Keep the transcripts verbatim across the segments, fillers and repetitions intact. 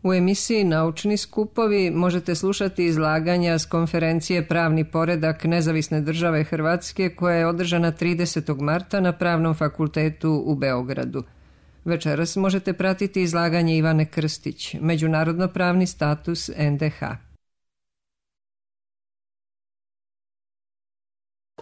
U emisiji Naučni skupovi možete slušati izlaganja s konferencije Pravni poredak Nezavisne države Hrvatske koja je održana tridesetog marta na Pravnom fakultetu u Beogradu. Večeras možete pratiti izlaganje Ivane Krstić, Međunarodno pravni status en de ha.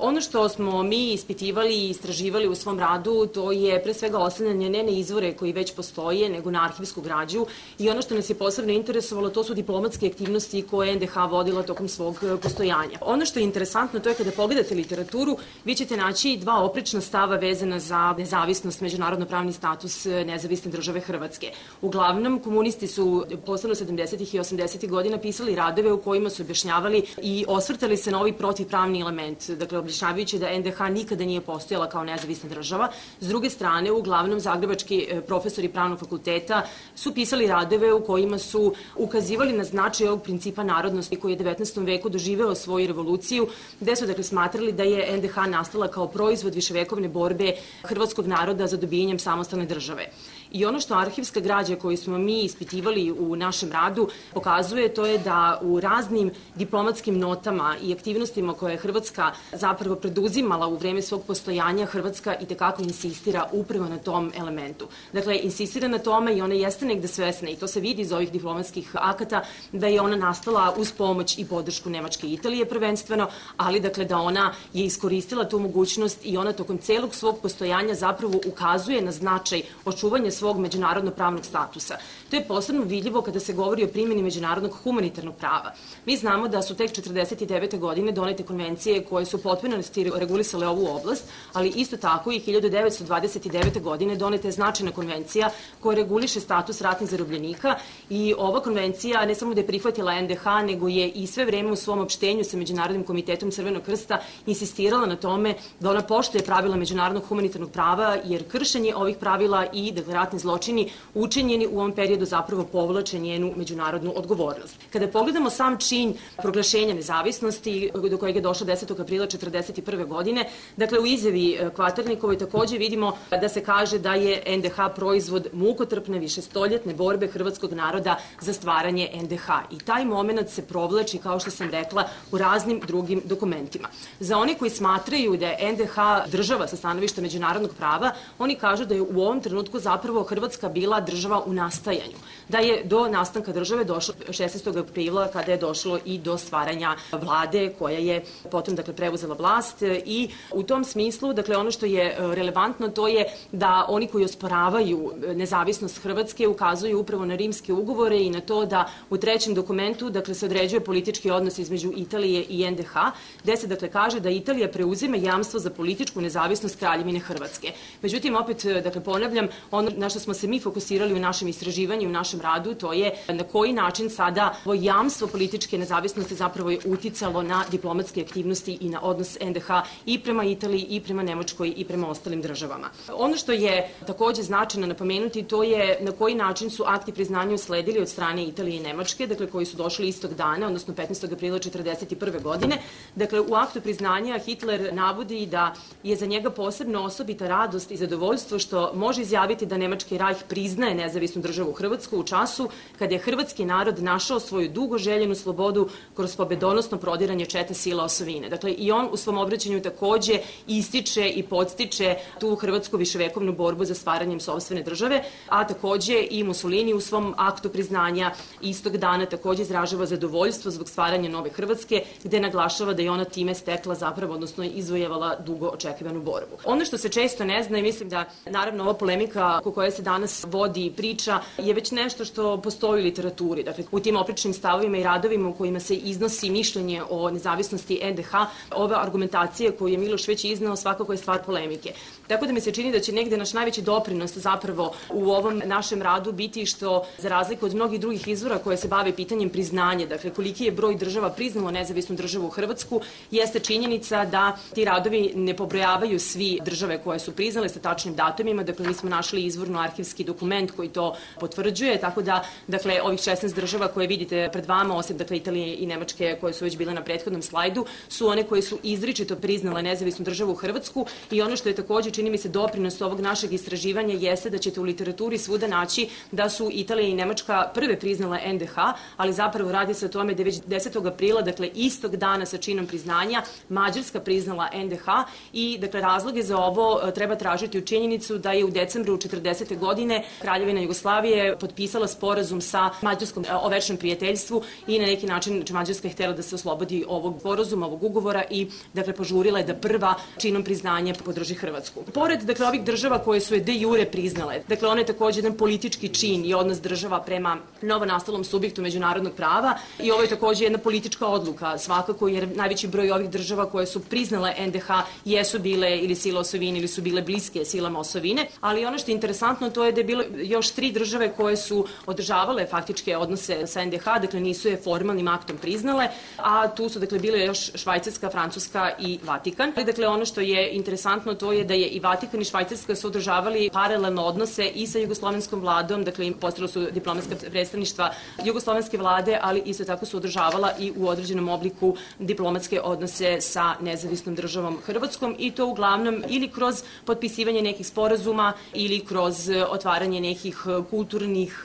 Ono što smo mi ispitivali i istraživali u svom radu, to je pre svega oslanjanje ne na izvore koji već postoje, nego na arhivsku građu, i ono što nas je posebno interesovalo, to su diplomatske aktivnosti koje en de ha vodila tokom svog postojanja. Ono što je interesantno, to je kada pogledate literaturu, vi ćete naći dva oprečna stava vezana za nezavisnost, međunarodno pravni status Nezavisne države Hrvatske. Uglavnom, komunisti su posebno sedamdesetih i osamdesetih godina pisali radove u kojima su objašnjavali i osvrtali se na ovaj protivpravni element, dakle objašnjavajući da en de ha nikada nije postojala kao nezavisna država. S druge strane, uglavnom zagrebački profesori pravnog fakulteta su pisali radove u kojima su ukazivali na značaj ovog principa narodnosti koji je u devetnaestom veku doživeo svoju revoluciju, gde su dakle smatrali da je en de ha nastala kao proizvod viševekovne borbe hrvatskog naroda za dobijanjem samostalne države. I ono što arhivska građa koju smo mi ispitivali u našem radu pokazuje, to je da u raznim diplomatskim notama i aktivnostima koje je Hrvatska zapravo preduzimala u vreme svog postojanja, Hrvatska i tekako insistira upravo na tom elementu. Dakle, insistira na tome i ona jeste negde svesna, i to se vidi iz ovih diplomatskih akata, da je ona nastala uz pomoć i podršku Nemačke i Italije prvenstveno, ali dakle da ona je iskoristila tu mogućnost i ona tokom celog svog postojanja zapravo ukazuje na značaj očuvanja svog međunarodno pravnog statusa. To je posebno vidljivo kada se govori o primjeni međunarodnog humanitarnog prava. Mi znamo da su tek četrdeset devete godine donete konvencije koje su potpunosti regulisale ovu oblast, ali isto tako i hiljadu devetsto dvadeset devete godine doneta je značajna konvencija koja reguliše status ratnih zarobljenika, i ova konvencija ne samo da je prihvatila en de ha, nego je i sve vreme u svom opštenju sa Međunarodnim komitetom Crvenog krsta insistirala na tome da ona poštuje pravila međunarodnog humanitarnog prava, jer kršenje ovih pravila i dakle ratni zločini učinjeni u ovom periodu zapravo povlače njenu međunarodnu odgovornost. Kada pogledamo sam čin proglašenja nezavisnosti do kojeg je došlo desetog aprila četrdeset prve godine, dakle u izjavi Kvaternikovoj takođe vidimo da se kaže da je en de ha proizvod mukotrpne višestoljetne borbe hrvatskog naroda za stvaranje en de ha, i taj moment se provlači, kao što sam rekla, u raznim drugim dokumentima. Za one koji smatraju da je en de ha država sa stanovišta međunarodnog prava, oni kažu da je u ovom trenutku zapravo Hrvatska bila država u nastajanju, da je do nastanka države došlo šesnaestog aprila kada je došlo i do stvaranja vlade koja je potom dakle preuzela vlast, i u tom smislu dakle ono što je relevantno to je da oni koji osporavaju nezavisnost Hrvatske ukazuju upravo na rimske ugovore i na to da u trećem dokumentu dakle se određuje politički odnos između Italije i en de ha, gde se dakle kaže da Italija preuzima jamstvo za političku nezavisnost Kraljevine Hrvatske. Međutim, opet dakle ponavljam, ono na što smo se mi fokusirali u našem istraživanju i u našem radu, to je na koji način sada ovo jamstvo političke nezavisnosti zapravo je uticalo na diplomatske aktivnosti i na odnos en de ha i prema Italiji i prema Nemačkoj i prema ostalim državama. Ono što je takođe značajno napomenuti, to je na koji način su akti priznanja usledili od strane Italije i Nemačke, dakle koji su došli istog dana, odnosno petnaestog aprila četrdeset prve godine. Dakle, u aktu priznanja Hitler navodi da je za njega posebno osobita radost i zadovoljstvo što može izjaviti da Nemački rajh priznaje nezavisnu državu Hrvatsku u času kada je hrvatski narod našao svoju dugo željenu slobodu kroz pobedonosno prodiranje čete sila osovine. Dakle, i on u svom obraćanju takođe ističe i podstiče tu hrvatsku viševekovnu borbu za stvaranjem sopstvene države, a takođe i Mussolini u svom aktu priznanja istog dana takođe izražava zadovoljstvo zbog stvaranja nove Hrvatske, gde naglašava da je ona time stekla zapravo, odnosno izvojevala dugo očekivanu borbu. Ono što se često ne zna, i mislim da naravno ova polemika oko koje se danas vodi i priča je već nešto što postoji u literaturi. Dakle, u tim oprečnim stavovima i radovima u kojima se iznosi mišljenje o nezavisnosti en de ha, ove argumentacije koju je Miloš već izneo svakako je stvar polemike. Tako da mi se čini da će negde naš najveći doprinos zapravo u ovom našem radu biti što, za razliku od mnogih drugih izvora koje se bave pitanjem priznanja, dakle koliki je broj država priznalo nezavisnu državu Hrvatsku, jeste činjenica da ti radovi ne pobrojavaju svi države koje su priznale sa tačnim datumima. Dakle, mi smo našli izvorno arhivski dokument koji to potvrđuje, tako da, dakle, ovih šesnaest država koje vidite pred vama, osim, dakle, Italije i Nemačke koje su već bile na prethodnom slajdu, su one koje su izričito priznale nezavisnu državu Hrvatsku i ono što je takođe, čini mi se, doprinos ovog našeg istraživanja jeste da ćete u literaturi svuda naći da su Italija i Nemačka prve priznale en de ha, ali zapravo radi se o tome da je već desetog aprila, dakle, istog dana sa činom priznanja, Mađarska priznala en de ha i, dakle, razloge za ovo treba tražiti u činjenicu da je u decembru četrdesete godine Kraljevina Jugoslavije potpisala sporazum sa Mađarskom o večnom prijateljstvu i na neki način Mađarska je htjela da se oslobodi ovog sporazuma, ovog ugovora i, dakle, požurila je da prva činom priznanja podrži Hrvatsku. Pored, dakle, ovih država koje su je de jure priznale, dakle, ono je takođe jedan politički čin i odnos država prema novonastalom subjektu međunarodnog prava i ovo je takođe jedna politička odluka, svakako, jer najveći broj ovih država koje su priznale en de ha jesu bile ili sile osovine ili su bile bliske silama osovine, ali ono što je interesantno to je da je bilo još tri države koje su održavale faktičke odnose sa en de ha, dakle nisu je formalnim aktom priznale, a tu su, dakle, bile još Švajcarska, Francuska i Vatikan. Dakle, ono što je interesantno to je da je i Vatikan i Švajcarska su održavali paralelno odnose i sa jugoslovenskom vladom, dakle postavila su diplomatska predstavništva jugoslovenske vlade, ali isto tako su održavala i u određenom obliku diplomatske odnose sa nezavisnom državom Hrvatskom i to uglavnom ili kroz potpisivanje nekih sporazuma ili kroz otvaranje nekih kulturnih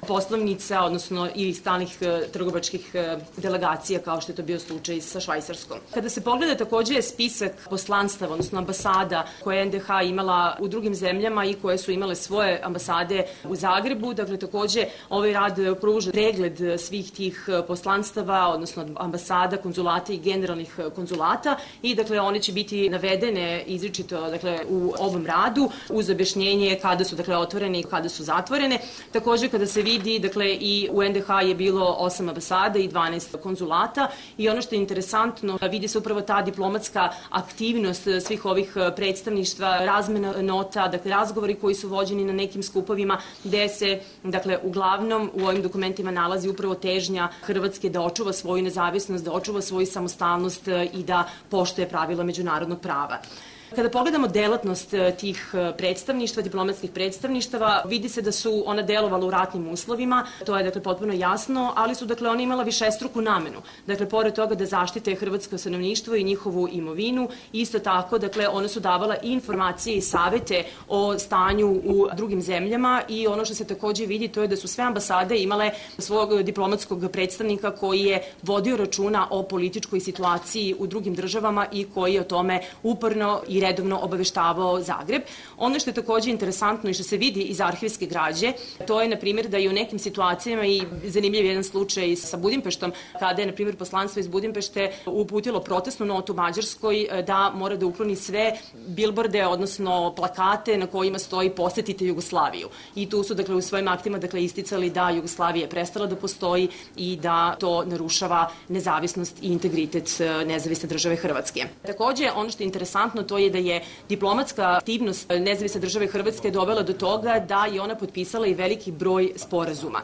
poslovnica, odnosno ili stalnih trgovačkih delegacija kao što je to bio slučaj sa Švajcarskom. Kada se pogleda takođe spisak poslanstava, odnosno ambasada koje je en de ha imala u drugim zemljama i koje su imale svoje ambasade u Zagrebu, dakle takođe ovaj rad pruža pregled svih tih poslanstava, odnosno ambasada, konzulata i generalnih konzulata i dakle one će biti navedene izričito dakle u ovom radu uz objašnjenje kada su dakle otvorene i kada su zatvorene. Takođe kada se vidi dakle i u en de ha je bilo osam ambasada i dvanaest konzulata i ono što je interesantno vidi se upravo ta diplomatska aktivnost svih ovih predstavništva, razmena nota, dakle razgovori koji su vođeni na nekim skupovima gde se dakle uglavnom u ovim dokumentima nalazi upravo težnja Hrvatske da očuva svoju nezavisnost, da očuva svoju samostalnost i da poštuje pravila međunarodnog prava. Kada pogledamo delatnost tih predstavništva, diplomatskih predstavništava, vidi se da su ona delovala u ratnim uslovima, to je dakle potpuno jasno, ali su dakle ona imala višestruku namenu. Dakle, pored toga da zaštite hrvatsko stanovništvo i njihovu imovinu, isto tako, dakle, one su davala i informacije i savete o stanju u drugim zemljama i ono što se takođe vidi to je da su sve ambasade imale svog diplomatskog predstavnika koji je vodio računa o političkoj situaciji u drugim državama i koji je o tome uporno i redovno obaveštavao Zagreb. Ono što je takođe interesantno i što se vidi iz arhivske građe, to je, na primjer, da je u nekim situacijama i zanimljiv jedan slučaj sa Budimpeštom, kada je, na primjer, poslanstvo iz Budimpešte uputilo protestnu notu Mađarskoj da mora da ukloni sve bilborde, odnosno plakate na kojima stoji posetite Jugoslaviju. I tu su, dakle, u svojim aktima dakle, isticali da Jugoslavija je prestala da postoji i da to narušava nezavisnost i integritet nezavisne države Hrvatske. Takođe, ono što je interesantno, to je da je diplomatska aktivnost nezavisne države Hrvatske dovela do toga da je ona potpisala i veliki broj sporazuma.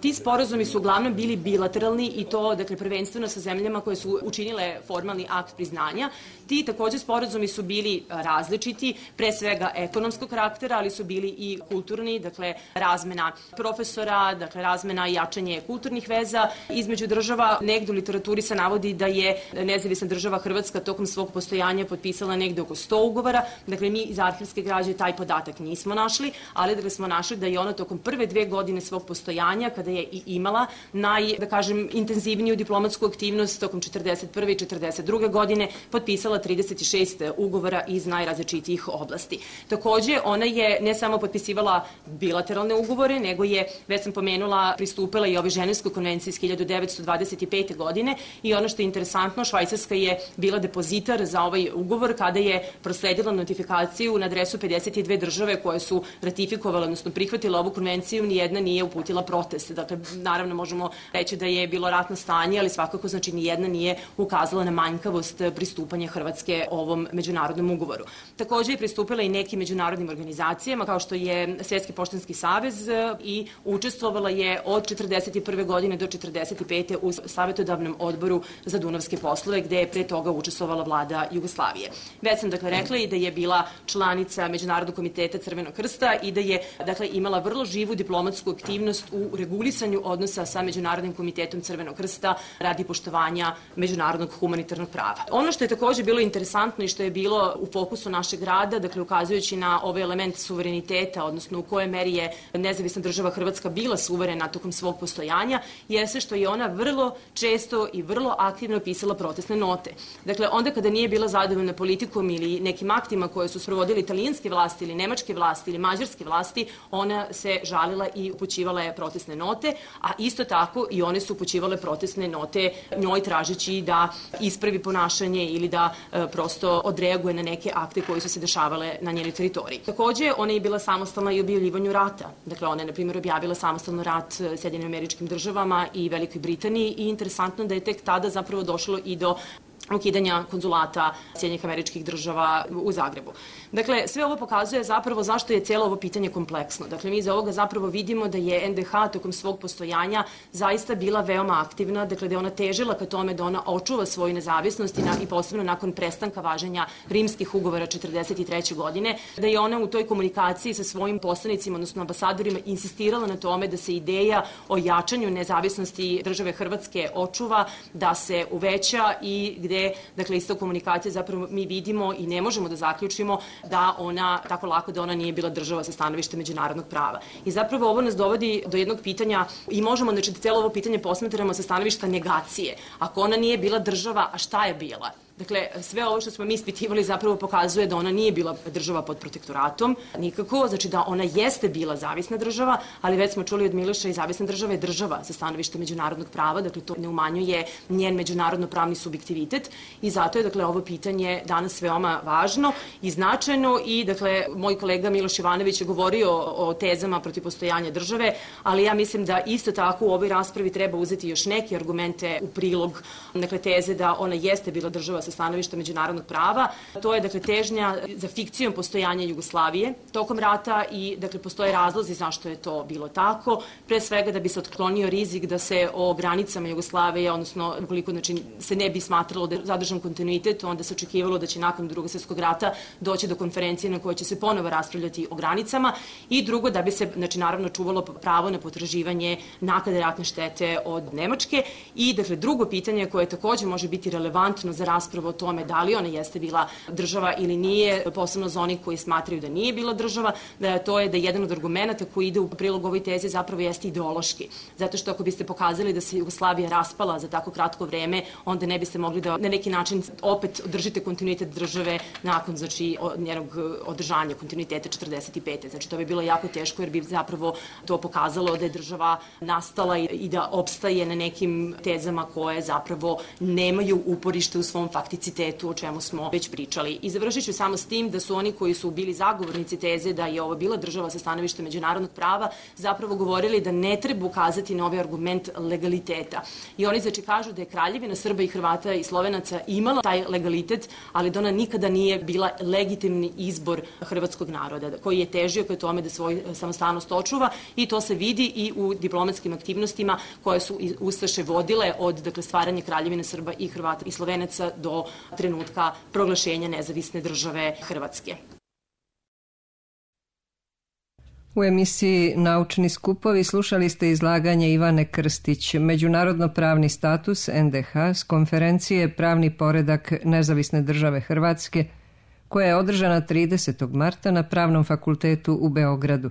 Ti sporazumi su uglavnom bili bilateralni i to, dakle, prvenstveno sa zemljama koje su učinile formalni akt priznanja. Ti takođe sporazumi su bili različiti, pre svega ekonomskog karaktera, ali su bili i kulturni, dakle, razmena profesora, dakle, razmena i jačanje kulturnih veza između država. Negde u literaturi se navodi da je nezavisna država Hrvatska tokom svog postojanja potpisala negde oko sto ugovora. Dakle, mi iz arhivske građe taj podatak nismo našli, ali dakle smo našli da je ona tokom prve dve godine svog postojanja, kada je i imala naj, da kažem, intenzivniju diplomatsku aktivnost tokom četrdeset prve i četrdeset druge godine, potpisala trideset šest ugovora iz najrazličitijih oblasti. Takođe, ona je ne samo potpisivala bilateralne ugovore, nego je, već sam pomenula, pristupila i ovoj Ženevskoj konvenciji iz hiljadu devetsto dvadeset pete. godine i ono što je interesantno, Švajcarska je bila depozitar za ovaj ugovor kada je prosledila notifikaciju na adresu pedeset dve države koje su ratifikovale, odnosno prihvatile ovu konvenciju, nijedna nije uputila protest. Dakle, naravno možemo reći da je bilo ratno stanje, ali svakako znači nijedna nije ukazala na manjkavost pristupanja Hrvatske ovom međunarodnom ugovoru. Takođe je pristupila i nekim međunarodnim organizacijama kao što je Svjetski poštanski savez i učestvovala je od četrdeset prve. godine do četrdeset pete. u savjetodavnom odboru za dunavske poslove gde je pre toga učestvovala vlada Jugoslavije. Već sam sam dakle rekla i da je bila članica Međunarodnog komiteta Crvenog krsta i da je dakle imala vrlo živu diplomatsku aktivnost u regulisanju odnosa sa Međunarodnim komitetom Crvenog krsta radi poštovanja međunarodnog humanitarnog prava. Ono što je takođe bilo interesantno i što je bilo u fokusu našeg rada, dakle ukazujući na ovaj element suvereniteta, odnosno u kojoj meri je nezavisna država Hrvatska bila suverena tokom svog postojanja, jeste što je ona vrlo često i vrlo aktivno pisala protestne note. Dakle, onda kada nije bila zadovoljna politikom ili nekim aktima koje su sprovodili italijanske vlasti ili nemačke vlasti ili mađarske vlasti, ona se žalila i upućivala je protestne note, a isto tako i one su upućivale protestne note njoj tražeći da ispravi ponašanje ili da e, prosto odreaguje na neke akte koji su se dešavale na njenoj teritoriji. Takođe, ona je bila samostalna i u objavljivanju rata. Dakle, ona je, na primjer, objavila samostalno rat Sjedinjenim Američkim Državama i Velikoj Britaniji i interesantno da je tek tada zapravo došlo i do ukidanja konzulata Sjedinjenih Američkih Država u Zagrebu. Dakle, sve ovo pokazuje zapravo zašto je cijelo ovo pitanje kompleksno. Dakle, mi iz ovoga zapravo vidimo da je en de ha tokom svog postojanja zaista bila veoma aktivna, dakle da je ona težila ka tome da ona očuva svoju nezavisnost i, na, i posebno nakon prestanka važenja rimskih ugovora četrdeset treće godine, da je ona u toj komunikaciji sa svojim poslanicima, odnosno ambasadorima, insistirala na tome da se ideja o jačanju nezavisnosti države Hrvatske očuva, da se uveća i gde dakle, isto komunikacija zapravo mi vidimo i ne možemo da zaključimo da ona, tako lako da ona nije bila država sa stanovišta međunarodnog prava. I zapravo ovo nas dovodi do jednog pitanja i možemo, znači, da cijelo ovo pitanje posmatramo sa stanovišta negacije. Ako ona nije bila država, a šta je bila? Dakle, sve ovo što smo mi ispitivali zapravo pokazuje da ona nije bila država pod protektoratom, nikako, znači da ona jeste bila zavisna država, ali već smo čuli od Miloša i zavisna država je država sa stanovišta međunarodnog prava, dakle to ne umanjuje njen međunarodno-pravni subjektivitet i zato je, dakle, ovo pitanje danas veoma važno i značajno i, dakle, moj kolega Miloš Ivanović je govorio o tezama protiv postojanja države, ali ja mislim da isto tako u ovoj raspravi treba uzeti još neke argumente u prilog, dakle, teze da ona jeste bila država sa stanovišta međunarodnog prava. To je, dakle, težnja za fikcijom postojanja Jugoslavije tokom rata i, dakle, postoje razlozi zašto je to bilo tako. Pre svega da bi se otklonio rizik da se o granicama Jugoslavije, odnosno ukoliko, znači, se ne bi smatralo da je zadržan kontinuitet, onda se očekivalo da će nakon Drugog svjetskog rata doći do konferencije na kojoj će se ponovo raspravljati o granicama i drugo da bi se, znači, naravno čuvalo pravo na potraživanje naknade ratne štete od Nemačke i, dakle, drugo pitanje koje takođe može biti relevantno za raspravu o tome da li ona jeste bila država ili nije, posebno za onih koji smatraju da nije bila država, da to je da jedan od argumenta koji ide u prilog ovoj tezi zapravo jeste ideološki. Zato što ako biste pokazali da se Jugoslavija raspala za tako kratko vreme, onda ne biste mogli da na neki način opet održite kontinuitet države nakon, znači, njenog održanja kontinuiteta četrdeset pete. Znači, to bi bilo jako teško jer bi zapravo to pokazalo da je država nastala i da opstaje na nekim tezama koje zapravo nemaju uporište u svom fakticitetu, o čemu smo već pričali. I završit ću samo s tim da su oni koji su bili zagovornici teze da je ovo bila država sa stanovišta međunarodnog prava zapravo govorili da ne treba ukazati na ovaj argument legaliteta. I oni, znači, kažu da je Kraljevina Srba i Hrvata i Slovenaca imala taj legalitet, ali da ona nikada nije bila legitimni izbor hrvatskog naroda, koji je težio ka tome da svoj samostalnost očuva i to se vidi i u diplomatskim aktivnostima koje su ustaše vodile od, dakle, stvaranja Kraljevine Srba i Hrvata i Slovenaca do trenutka proglašenja nezavisne države Hrvatske. U emisiji Naučni skupovi slušali ste izlaganje Ivane Krstić, Međunarodno-pravni status en de ha s konferencije Pravni poredak nezavisne države Hrvatske, koja je održana tridesetog marta na Pravnom fakultetu u Beogradu.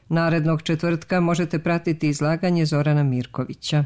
Narednog četvrtka možete pratiti izlaganje Zorana Mirkovića.